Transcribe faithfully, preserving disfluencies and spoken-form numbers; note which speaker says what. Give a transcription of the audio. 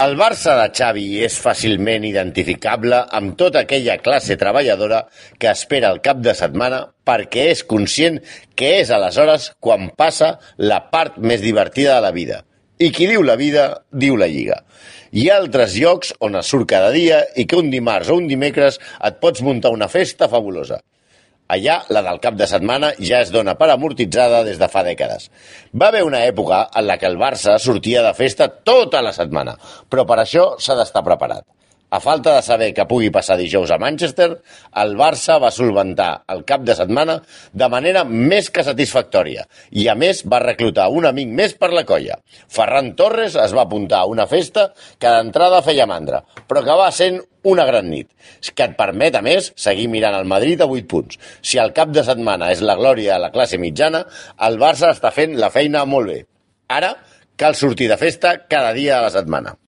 Speaker 1: El Barça de Xavi és fàcilment identificable amb tota aquella classe treballadora que espera el cap de setmana perquè és conscient que és aleshores quan passa la part més divertida de la vida. I qui diu la vida, diu la Lliga. Hi ha altres llocs on es surt cada dia i que un dimarts o un dimecres et pots muntar una festa fabulosa. Allà, la del cap de setmana ja es dona per amortitzada des de fa dècades. Va haver una època en la que el Barça sortia de festa tota la setmana, però per això s'ha d'estar preparat. A falta de saber què pugui passar dijous a Manchester, el Barça va solventar el cap de setmana de manera més que satisfactòria i, a més, va reclutar un amic més per la colla. Ferran Torres es va apuntar a una festa que d'entrada feia mandra, però que va sent una gran nit, que et permet, a més, seguir mirant el Madrid a vuit punts. Si el cap de setmana és la glòria de la classe mitjana, el Barça està fent la feina molt bé. Ara, cal sortir de festa cada dia de la setmana.